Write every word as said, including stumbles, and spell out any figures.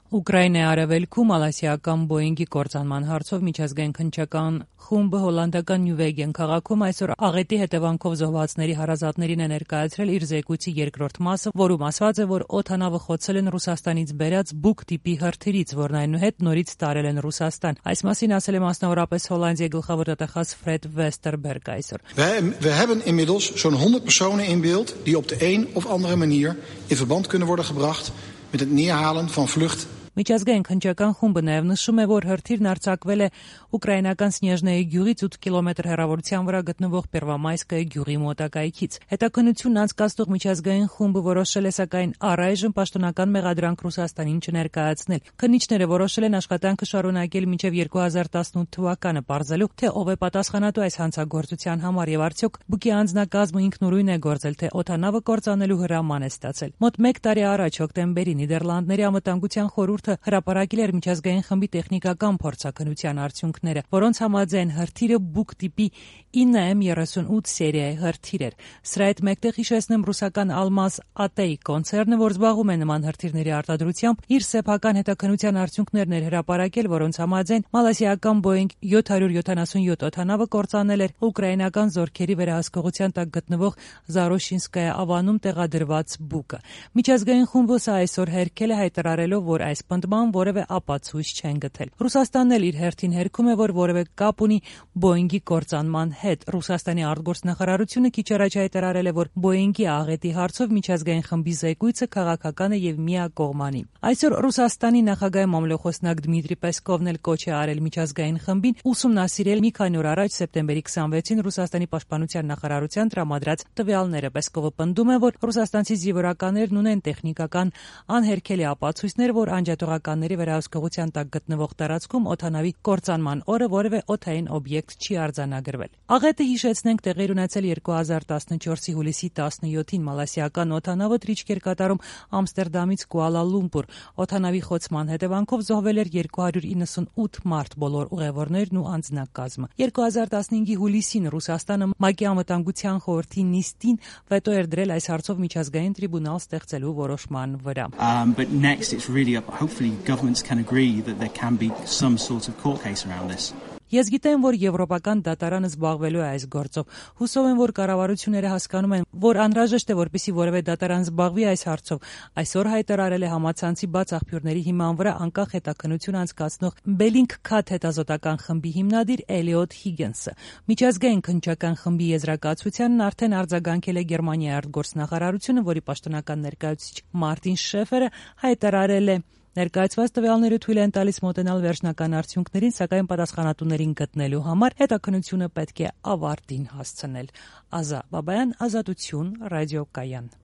Ուկրաինայի արևելքում մալազիական Բոինգի կործանման հարցով միջազգային քննչական խումբը հոլանդական Նյուվեգեն քաղաքում այսօր աղետի հետևանքով զոհվածների հարազատներին է ներկայացրել իր զեկույցի երկրորդ մասը, որում ասված է, որ օդանավը խոցել են Ռուսաստանից բերած բուկ տիպի հրթիռից, որն այնուհետ նորից տարել են Ռուսաստան։ Այս մասին ասել է մասնավորապես Հոլանդիայի գլխավոր տեղակալ Ֆրեդ Վեստերբերգ այսօր։ We hebben inmiddels zo'n honderd personen in beeld die op de een of andere manier in verband kunnen worden gebracht met het neerhalen van vlucht. Միջազգային քննչական խումբը նաև նշում է, որ հրթիռն արձակվել է ուկրաինական Սնեժնեի գյուղից ութ կիլոմետր հեռավորության վրա գտնվող Պերվամայսկայի գյուղի մոտակայքից։ Հետաքննությունն անցկացնող միջազգային խումբը որոշել է սակայն առայժմ պաշտոնական մեղադրանք Ռուսաստանին չներկայացնել։ Քննիչները որոշել են աշխատանքը շարունակել մինչև երկու հազար տասնութ թվականը, պարզելու, թե ով է պատասխանատու այս հանցագործության համար եւ արդյոք բուկի անձնակազմը ինքնուրույն է գործել, թե օդանավը կործանելու հրաման է ստացել։ Մոտ մեկ տարի առաջ հոկտեմբերի Նիդերլանդների անվտանգության խորհուրդը հրապարակել էր միջազգային խմբի տեխնիկական փորձաքննության արդյունքները, որոնց համաձայն հրթիռը բուկ տիպի ինը էմ երեսունութ սերիայի հրթիռ էր։ Սրա հետ մեկտեղ հիշեցնեմ ռուսական Almaz At կոնցեռնը, որ զբաղվում է նման հրթիռների արտադրությամբ, իր սեփական հետաքննության արդյունքներն էր հրապարակել, որոնց համաձայն մալազիական Boeing յոթ հարյուր յոթանասունյոթ օդանավը կործանել էր ուկրաինական զորքերի վերահսկողության տակ գտնվող Զարոշինսկայա ավանում տեղադրված բուկը։ Միջազգային խումբը այսօր հերքել է հայտարարելով, որ այս պնդման որևէ ապացույց չեն գտել։ Ռուսաստանն էլ իր հերթին հերքում է, որ որևէ կապ ունի Boeing-ի կործանման հետ։ Ռուսաստանի արտգործնախարարությունը քիչ առաջ հայտարարել է, որ Boeing-ի աղետի հարցով միջազգային խմբի զեկույցը քաղաքական է եւ միակողմանի։ Այսօր Ռուսաստանի նախագահի մամլոխոսնակ Դմիտրի Պեսկովն էլ կոչ է արել միջազգային խմբին ուսումնասիրել մի քանի օր առաջ սեպտեմբերի քսանվեցին Ռուսաստանի պաշտպանության նախարարության տրամադրած տվյալները։ Պեսկովը պնդում է, որ ռուսաստանցի զինվորականներն ունեն տեխնիկական անհերքելի ապացույցներ, որ անջատողականների վերահսկողության տակ գտնվող տարածքում օդանավի կործանման օրը որևէ օդային օբյեկտ չի արձանագրվել։ Աղետը հիշեցնենք տեղի ունեցել երկու հազար տասնչորսի հուլիսի տասնյոթին մալազիական օդանավը թռիչք էր կատարում Ամստերդամից Կուալա Լումպուր։ Օդանավի խոցման հետևանքով զոհվել էր երկու հարյուր իննսունութ մարդ, բոլոր ուղևորներն ու անձնակազմը։ երկու հազար տասնհինգի հուլիսին Ռուսաստանը ՄԱԿ-ի անվտանգության խորհրդի նիստին վետո էր դրել այս հարցով միջազգային տրիբունալ ստեղծելու որոշման վրա։ Um, but next it's really up, hopefully governments can agree that there can be some sort of court case around this. Ես գիտեմ, որ եվրոպական դատարանը զբաղվելու է այս գործով։ Հուսով եմ, որ կառավարությունները հասկանում են, որ անհրաժեշտ է, որպեսզի որևէ դատարան զբաղվի այս հարցով։ Այսօր հայտարարել է համացանցի բաց աղբյուրների հիման վրա անկախ հետաքննություն անցկացնող Bellingcat հետազոտական խմբի հիմնադիր Էլիոտ Հիգինսը։ Միջազգային քննչական խմբի եզրակացությանն արդեն արձագանքել է Գերմանիայի արտգործնախարարությունը, որի պաշտոնական ներկայացուցիչ Մարտին Շեֆերը հայտարարել է. Ներկայացված տվյալները թույլ են տալիս մոտենալ վերջնական արդյունքներին, սակայն պատասխանատուներին գտնելու համար հետաքննությունը պետք է ավարտին հասցնել։ Ազա Բաբայան, Ազատություն, ռադիոկայան։